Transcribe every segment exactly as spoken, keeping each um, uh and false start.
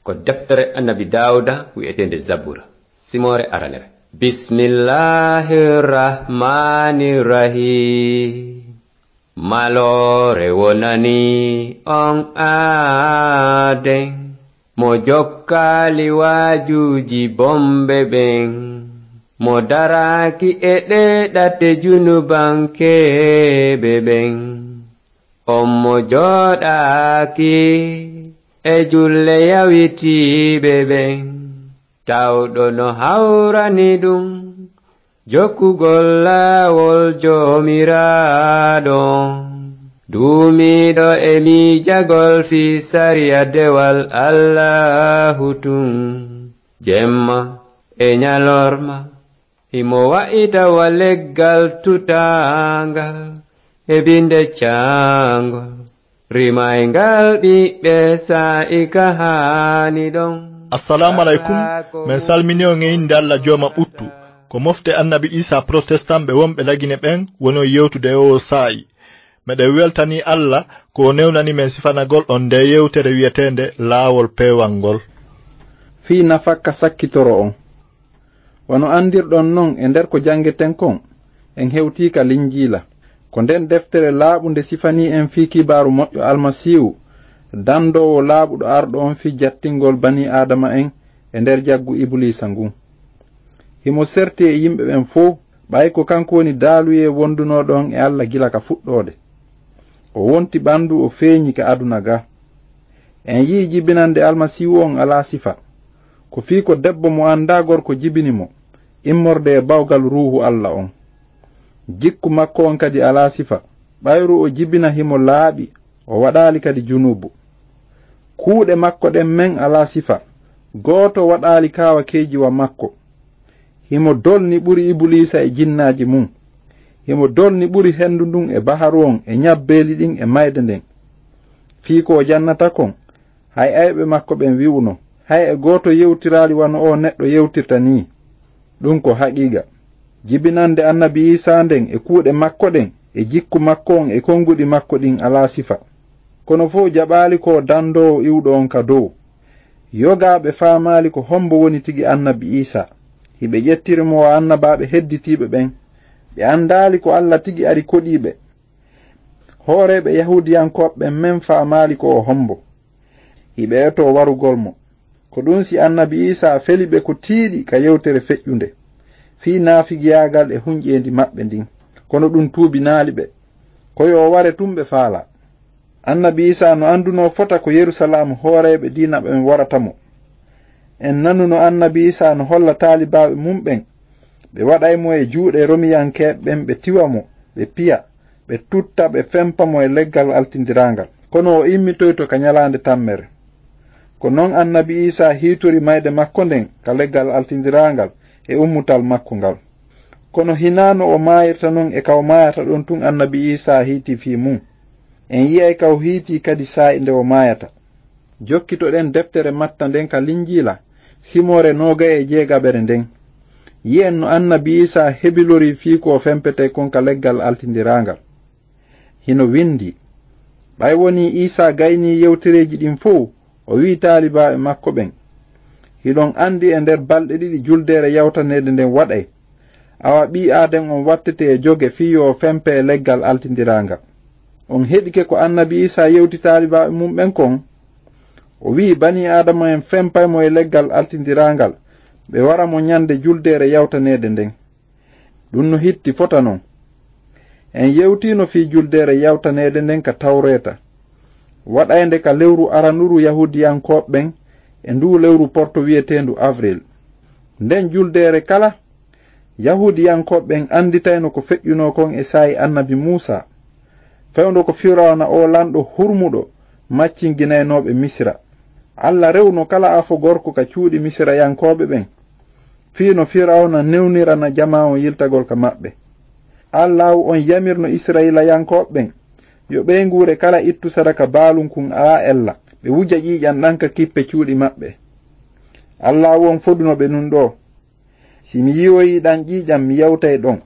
Ko deftere Annabi Daawuda wi'eteende Zabura, simoore aranere. Bismillahir Rahmanir Rahim. Maloore wonani on aaden, mo jokkaali waajuuji bomɓe ɓen, mo daraaki e ɗee ɗate junubankeeɓe ɓen. On mo jooɗaaki e julle yawitiiɓe ɓen, tawɗo no hawrani ɗum jokkugol laawol Joomiraaɗo. Duumiiɗo e miijagol fii sariya dewal Allaahu tun, jemma e ñalorma, himo wa'ita wa leggal tutaangal e binde caangol, rimayngal ɓiɓɓe saa'i ka haani ɗon. Assalamu alaikum. Men salmini on e innde Allah jooma ɓuttu. Ko mofte Annabi Isa Protestant ɓe wonɓe Lagine ɓen woni on yewtude e oo saa'i. Meɗen weltanii Allah ko o newnani men sifanagol on ndee yewtere wi'eteende Laawol Peewal ngol. Fii nafakka sakkitoro on. Wano anndirɗon non e nder ko janngeten kon, en hewtii ka Linjiila. Ko nden deftere laaɓunde sifanii en fii kibaaru moƴƴo Almasiihu, dandoowo laaɓuɗo arɗo on fii jattingol banii Aadama en e nder jaggu Ibuliisa ngun. Himo serti e yimɓe ɓen fow, ɓay ko kanko woni daaluyee wondunooɗo on e Alla gila ka fuɗɗoode. O wonti ɓandu, o feeñi ka aduna ga. En yi'i jibinande Almasiihu on alaa sifa. Ko fii ko debbo mo anndaa gorko jibini mo, immorde e bawgal Ruuhu Alla on. Jikku makko on kadi alaa sifa, ɓayru o jibina himo laaɓi, o waɗaali kadi junuubu. Kuuɗe makko ɗen men alaa sifa, gooto waɗaali kaawakeeji wa makko. Himo dolni ɓuri Ibuliisa e jinnaaji mun. Himo dolni ɓuri hendu ndun e baharu on e ñabbeeli ɗin e mayde nden. Fii ko o jannata kon, hay ayɓe makko ɓen wi'uno, hay e gooto yewtiraali wano oo neɗɗo yewtirta nii. Ɗun ko haqiiqa. Jibinande Annabi Iisaa nden e kuuɗe makko ɗen e jikku makko on e konguɗi makko ɗin alaa sifa. Kono fow jaɓaali ko o dandoowo iwɗo on ka dow. Yogaaɓe faamaali ko hombo woni tigi Annabi Iisaa. Hiɓe ƴettiri mo wa annabaaɓe hedditiiɓe ɓen. Ɓe andaali ko Alla tigi ari koɗii ɓe. Hooreeɓe Yahuudiyankooɓe ɓen men faamaali ko o hombo. Hiɓe etoo warugol mo. Ko ɗun si Annabi Iisaa feli ɓe ko tiiɗi ka yewtere feƴƴunde, fii naafigiyaagal e hunƴeendi maɓɓe ndin. Kono ɗun tuubinaali ɓe. Ko yo o ware tun ɓe faalaa. Annabi Iisaa no andunoo fota ko Yerusalaam hooreeɓe diina ɓen warata mo. En nanuno Annabi Iisaa no holla taalibaaɓe mun ɓen, ɓe waɗay mo e juuɗe Romiyankeeɓe ɓen, ɓe tiwa mo, ɓe piya, ɓe tutta, ɓe fempa mo e leggal altindiraangal. Kono o immitoyto ka ñalaande tammere. Ko non Annabi Iisaa hiitori mayde makko nden ka leggal altindiraangal e ummutal makko ngal. Kono hinaa no o maayirta non e ka o maayata ɗon tun Annabi Iisaa hiiti fii mun. En yi'ay ka o hiiti kadi saa'i nde o maayata. Jokkitoɗen deftere Matta nden ka Linjiila, simoore noogay e jeegaɓere nden. Yi'en no Annabi Iisaa hebilori fii ko o fempetee kon ka leggal altindiraangal. Hino windi, ɓay wonii Iisaa gaynii yewtereeji ɗin fow, o wi'i taalibaaɓe makko ɓen, hiɗon andi e nder balɗe ɗiɗi juldeere yawtaneede nden waɗay. Awa ɓii Aaden on wattete e joge fii yo o fempe e leggal altindiraangal. On heɗike ko Annabi Iisaa yewti taalibaaɓe mun ɓen kon? O wi'i banii Aadama en fempay mo e leggal altindiraangal, ɓe wara mo ñande juldeere yawtaneede nden. Ɗun no hitti fota non. En yewtiino fii juldeere yawtaneede nden ka Tawreeta, waɗaynde ka lewru aranuru Yahuudiyankooɓe ɓen e nduu lewru porto wi'eteendu Avril. Nden juldeere kala, Yahuudiyankooɓe ɓen anditayno ko feƴƴunoo kon e saa'i Annabi Muusaa, fewndo ko Firawna oo lanɗo hurmuɗo maccinginaynooɓe Misira. Alla rewno kala afo gorko ka cuuɗi Misirayankooɓe ɓen, fii no Firawna newnirana jamaa on yiltagol ka maɓɓe. Allaahu on yamirno Isra'iilayankooɓe ɓen yo ɓeynguure kala ittu sadaka baalunkun alaa ella, ɓe wuja ƴiiƴan ɗan ka kippe cuuɗi maɓɓe. Allaahu on foduno ɓe nun ɗoo, si mi yi'oyii ɗan ƴiiƴan, mi yawtay ɗon.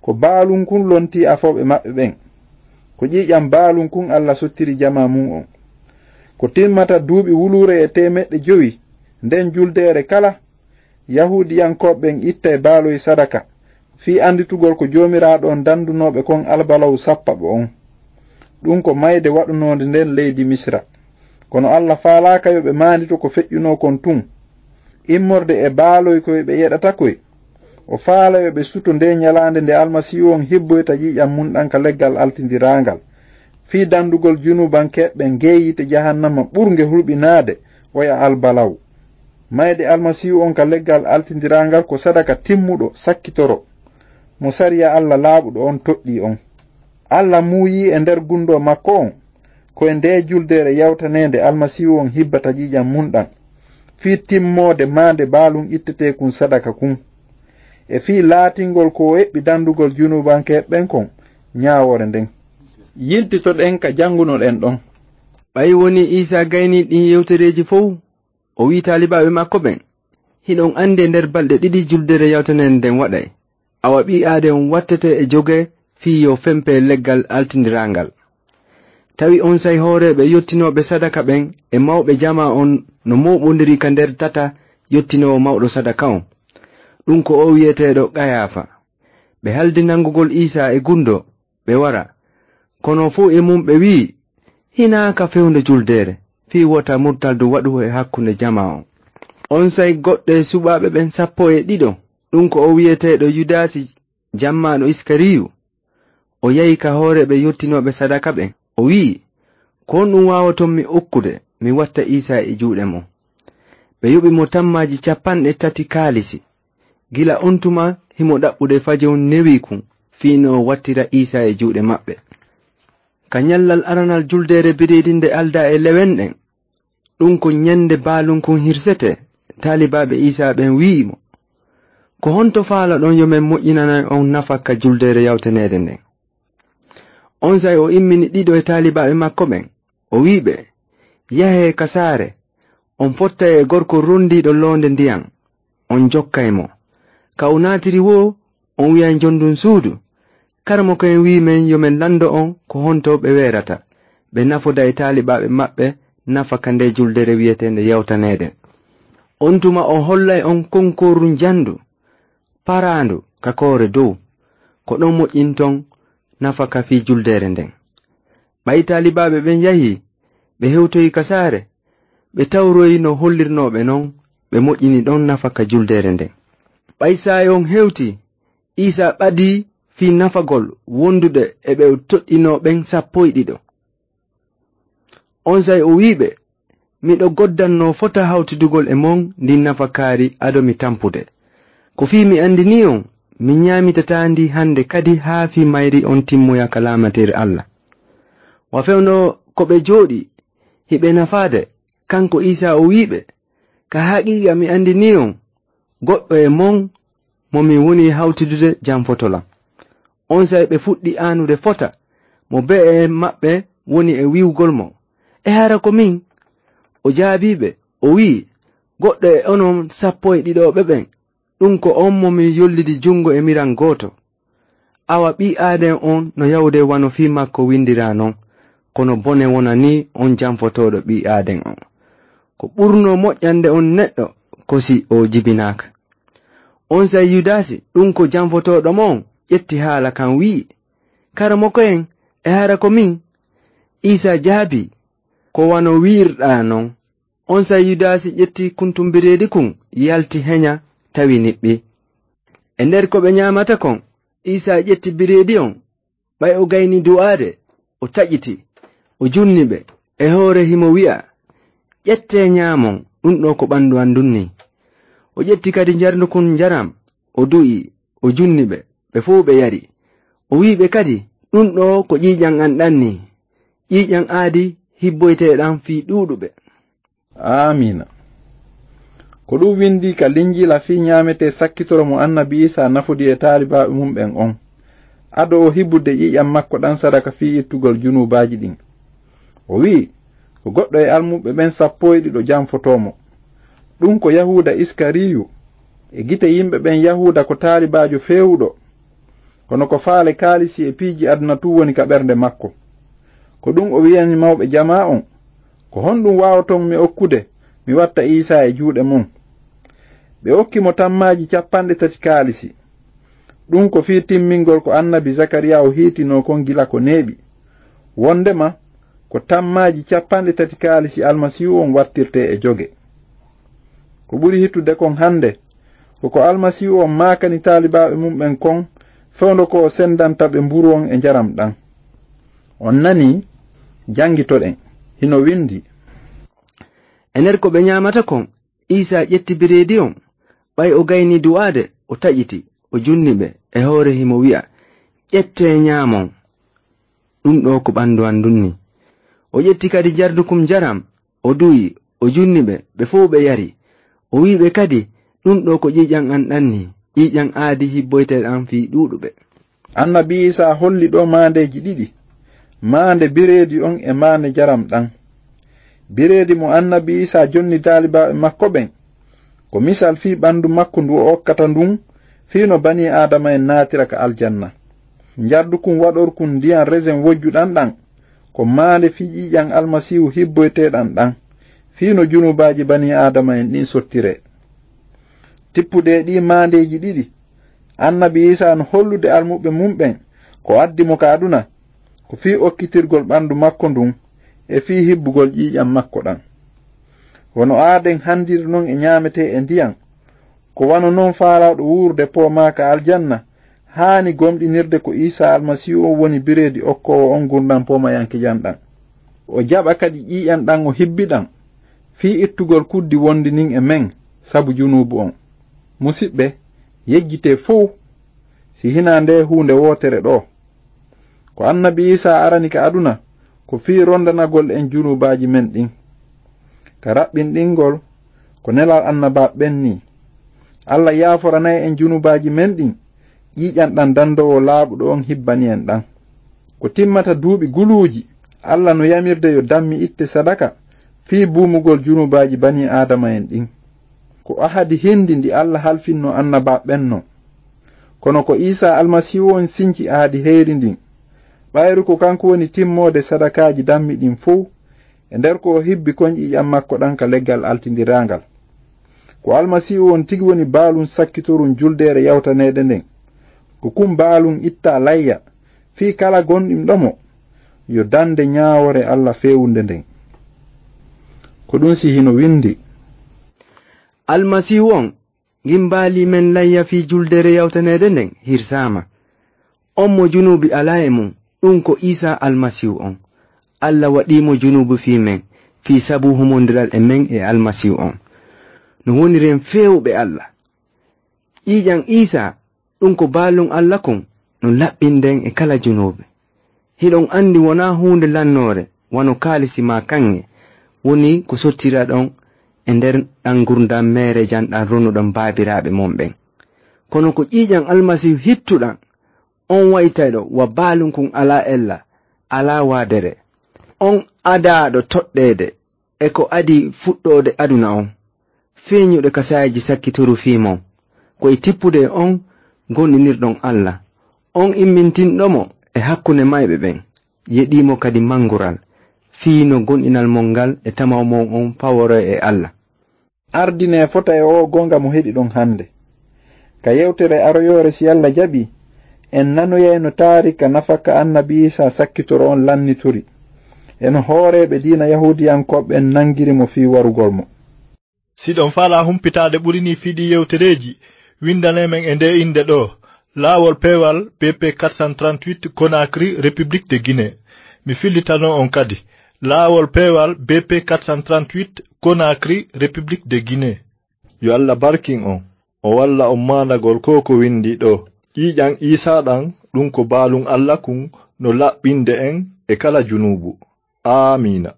Ko baalunkun lontii afooɓe maɓɓe ɓen. Ko ƴiiƴan baalunkun Alla sottiri jamaa mun on. Ko timmata duuɓi wuluure e teemeɗɗe jowi, nden juldeere kala, Yahuudiyankooɓe ɓen ittay baaloy sadaka, fii annditugol ko Joomiraaɗo on dandunoo ɓe kon albalaw sappaɓo on. Ɗun ko mayde waɗunoonde nden leydi Misira. Kono Alla faalaaka yo ɓe maandito ko feƴƴunoo kon tun. Immorde e baaloy koy ɓe yeɗata koy, o faala yo ɓe suto nde ñalaande nde Almasiihu on hibboyta ƴiiƴan mun ɗan ka leggal altindiraangal, fii dandugol junuubankeeɓe ɓen gee yiite jahannama ɓurnge hulɓinaade oya albalaw. Mayde Almasiihu on ka leggal altindiraangal ko sadaka timmuɗo, sakkitoro, mo sariya Alla laaɓuɗo on toɗɗii on. Alla muuyii e nder gundoo makko on, ko e ndee juldeere yawtaneende Almasiihu on hibbata ƴiiƴan mun ɗan, fii timmoode maande baalun itteteekun sadaka kun, e fii laatingol ko o eɓɓi dandugol junuubankeeɓe ɓen kon ñaawoore nden. Yiltitoɗen ka janngunoɗen ɗon. Ɓay wonii Iisaa gaynii ɗin yewtereeji fow, o wi'i taalibaaɓe makko ɓen, "Hiɗon andi e nder balɗe ɗiɗi juldeere yawtaneende nden waɗay. Awa ɓii aaden on wattete e joge fii yo fempe leggal altindiraangal." Tawi onsay hooreeɓe yottinooɓe sadaka ɓen e mawɓe jamaa on no mooɓondiri ka nder tata yottinoowo mawɗo sadaka on. Ɗun ko o wi'eteeɗo Qayaafa. Ɓe haldi nangugol Iisaa e gundo, ɓe wara. Kono fow e mun ɓe wi'i, "Hinaa ka fewndo juldeere, fii wota murtaldu waɗu e hakkunde jamaa on." Onsay goɗɗo e suɓaaɓe ɓen sappo e ɗiɗo, ɗun ko o wi'eteeɗo Yudaasi, jammaaɗo Iskariyu, o yahi ka hooreeɓe yottinooɓe sadaka ɓen. O wi'i, "Ko honɗun waawoton mi okkude, mi watta Iisaa e juuɗe mon?" Ɓe yoɓi mo tammaaji capanɗe tati kaalisi. Gila on tuma himo ɗaɓɓude faje on newi kun, fii no o wattira Iisaa e juuɗe maɓɓe. Ka ñallal aranal juldeere bireedi nde aldaa e lewen ɗen, ɗun ko ñande baalun kun hirsetee, taalibaaɓe Iisaa ɓen wi'i mo, "Ko honto faalaɗon yo men moƴƴinanay on nafa ka juldeere yawtaneede nden?" Onsay o immini ɗiɗo e taalibaaɓe makko ɓen, o wi'i ɓe, "Yahee ka saare, on fottay e gorko rondiiɗo loonde ndiyan, on jokkay mo. Ka o naatiri woo, on wi'ay njondun suudu, 'Karamoko en wi'i men yo men lando on ko honto ɓe weerata, ɓe nafoda e taalibaaɓe maɓɓe nafa ka nde juldeere wi'eteende yawtaneede.' On tuma o hollay on konkooru njandu, paraandu ka koore dow. Ko ɗon moƴƴinton nafa ka fii juldeere nden." Ɓay taalibaaɓe ɓen yahii, ɓe hewtoyi ka saare, ɓe tawroyi no hollirnoo ɓe non, ɓe moƴƴini ɗon nafa ka juldeere nden. Ɓay saa'i on hewtii, Iisaa ɓadii fii nafagol wondude e ɓe o toɗɗinoo ɓen sappo e ɗiɗo. Onsay o wi'i ɓe, "Miɗo goddannoo fota hawtidugol e mon ndin nafakaari ado mi tampude. Ko fii mi andinii on, mi ñaamitataa ndi hande kadi haa fii mayri on timmoya ka laamateeri Alla." Wa fewndo ko ɓe jooɗii, hiɓe nafaade, kanko Iisaa o wi'i ɓe, "Ka haqiiqa mi andinii on, goɗɗo e mon mo mi woni hawtidude janfoto lan." Onsay ɓe fuɗɗi aanude fota mo be'e maɓɓe woni e wi'ugol mo, "E hara ko min?" O jaabii ɓe, o wi'i, "Goɗɗo e onon sappo e ɗiɗooɓe ɓen, ɗun ko on mo mi yollidi jungo e miran gooto. Awa ɓii aaden on no yahude wano fii makko windiraa non, kono bone wonanii on janfotooɗo ɓii aaden on. Ko ɓurnoo moƴƴande on neɗɗo ko si o jibinaaka." Onsay Yudaasi, ɗun ko janfotooɗo mo on, ƴetti haala kan wi'i, "Karamoko en, e hara ko min?" Iisaa jaabii, "Ko wano wi'irɗaa non." Onsay Yudaasi ƴetti kuntum bireedi kun, yalti heña, tawi niɓɓi. E nder ko ɓe ñaamata kon, Iisaa ƴetti bireedi on, ɓay o gayni du'aade, o taƴiti, o junni ɓe. E hoore himo wi'a, "Ƴettee ñaamon, ɗun ɗoo ko ɓandu an ndun nii." O ƴetti kadi njarndu kun njaram, o du'i, o junni ɓe, ɓe fow ɓe yari. O wi'i ɓe kadi, "Ɗun ɗoo ko ƴiiƴan an ɗan nii, ƴiiƴan aadi hibboyteeɗan fii ɗuuɗuɓe." Aamiina. Ko ɗun windii ka Linjiila fii ñaametee sakkitoro mo Annabi Iisaa nafodi e taalibaaɓe mun ɓen on, ado o hibude ƴiiƴan makko ɗan sadaka fii ittugol junuubaaji ɗin. O wi'i, ko goɗɗo e almuɓɓe ɓen sappo e ɗiɗo janfotoo mo. Ɗun ko Yahuuda Iskariyu, e gite yimɓe ɓen Yahuuda ko taalibaajo feewuɗo. Kono ko faale kaalisi e piiji aduna tun woni ka ɓernde makko. Ko ɗun o wi'ani mawɓe jamaa on, Ko honɗum waawoton mi okkude, mi watta Iisaa e juuɗe mon?" Ɓe okki mo tammaaji capanɗe tati kaalisi. Ɗum ko fii timmingol ko annabi Zakariyaa o hiitinoo kon gila ko neeɓi, wonndema ko tammaaji capanɗe tati kaalisi Almasiihu on wattirtee e joge. Ko ɓuri hittude kon hannde, ko ko Almasiihu on maakani taalibaaɓe mum ɓen kon, fewndo ko o senndanta ɓe mburu on e njaram ɗan. On nanii? Janngitoɗen. Hino winndi. E nder ko ɓe ɲaamata kon, Iisaa ƴetti bireedi on, ɓay o gaynii du'aade, o taƴiti, o junni ɓe e hoore himo wi'a, "Ƴettee ɲaamon. Ɗum ɗoo ko ɓanndu an ndun nii." O ƴetti kadi jardukun njaram, o du'i, o junni ɓe, ɓe fow ɓe yari. O wi'i ɓe kadi, "Ɗum ɗoo ko ƴiiƴan an ɗan nii, ƴiiƴan aadi hibboyteeɗan fii ɗuuɗuɓe." Annabi Iisaa holli ɗoo maandeeji ɗiɗi, maande bireedi on e maande njaram ɗan. Bireedi mo annabi Iisaa jonni taalibaaɓe makko ɓen, ko misal fii ɓanndu makko ndu o okkata ndun, fii no banii Aadama en naatira ka aljanna. Njardukun waɗorkun ndiyan resin wojjuɗan ɗan, ko maande fii ƴiiƴan Almasiihu hibboyteeɗan ɗan, fii no junuubaaji banii Aadama en ɗin sottiree. Tippude e ɗii maandeeji ɗiɗi, annabi Iisaa no hollude almuɓɓe mum ɓen ko addi mo ka aduna, ko fii okkitirgol ɓanndu makko ndun e fii hibbugol ƴiiƴan makko ɗan. Wano aaden hanndiri non e ɲaametee e ndiyan, ko wano non faalaaɗo wuurude poomaa ka aljanna haani gomɗinirde ko Iisaa Almasiihu on woni bireedi okkoowo on ngurndan poomayankejan ɗan. O jaɓa kadi ƴiiƴan ɗan o hibbi ɗan fii ittugol kuddi wondi nin e men sabu junuubu on. Musiɓɓe, yejjitee fow si hinaa ndee huunde wootere ɗoo. Ko annabi Iisaa arani ka aduna ko fii ronndanagol en junuubaaji men ɗin. Ka raɓɓinɗingol, ko nelal annabaaɓe ɓen nii. Alla yaaforanay en junuubaaji men ɗin, ƴiiƴan ɗan dandoowo laaɓuɗo on hibbani en ɗan. Ko timmata duuɓi guluuji, Alla no yamirde yo dammi itte sadaka fii buumugol junuubaaji banii Aadama en ɗin. Ko ahadi hindi ndi Alla halfinno annabaaɓe ɓen non. Kono ko Iisaa Almasiihu on sinci ahadi heyri ndin, ɓayru ko kanko woni timmoode sadakaaji dammi ɗin fow, e nder ko o hibbi kon ƴiiƴan makko ɗan ka leggal altindiraangal. Ko Almasiihu on tigi woni baalun sakkitorun juldeere yawtaneede nden. Ko kun baalun ittaa layya, fii kala gonɗinɗo mo, yo dande ɲaawoore Alla feewunde nden. Ko ɗun si hino windi. Almasiihu on, ngin baalii men layya fii juldeere yawtaneede nden, hirsaama. On mo junuubi alaa e mun, ɗun ko Iisaa Almasiihu on. Alla waɗii mo junuubu fii men, fii sabu humondiral e men e Almasiihu on. No woniren feewuɓe Alla. Ƴiiƴan Iisaa, ɗun ko baalun Alla kun, no laɓɓinden e kala junuubi. Hiɗon andi wonaa huunde lannoore, wano kaalisi maa kaŋŋe, woni ko sottiraɗon e nder ɗan ngurndan meereejan ɗan ronuɗon baabiraaɓe mon ɓen. Kono ko ƴiiƴan Almasiihu hittuɗan, on waytayɗo wa baalun kun alaa ella, alaa waadere. On adaaɗo toɗɗeede e ko adii fuɗɗoode aduna on, feeñuɗo ka saa'iiji sakkitoru fii mon, ko e tippude e on gonɗinirɗon Alla, on immintinɗo mo e hakkunde mayɓe ɓen, yeɗii mo kadi mangural, fii no gonɗinal mon ngal e tamaw mon on paworoya e Alla. Ardinee fota e oo goonga mo heɗiɗon hannde. Ka yewtere aroyoore, si Alla jaɓii, en nanoyay no taarika nafaka annabi Iisaa sakkitoro on lannitori, e no hooreeɓe diina Yahuudiyankooɓe ɓen nangiri mo fii warugol mo. Si ɗon faalaa humpitaade ɓuri nii fii ɗii yewtereeji, winndanee men e ndee innde ɗoo, Laawol Peewal B P quatre cent trente-huit, Conakry, République de Guinée. Mi fillitanoo on kadi, Laawol Peewal B P quatre cent trente-huit, Conakry, République de Guinée. Yo Alla barkin on, o walla on maandagol ko ko winndii ɗoo. Ƴiiƴan Iisaa ɗan, ɗun ko baalun Alla kun, no laɓɓinde en e kala junuubu. Aamiina.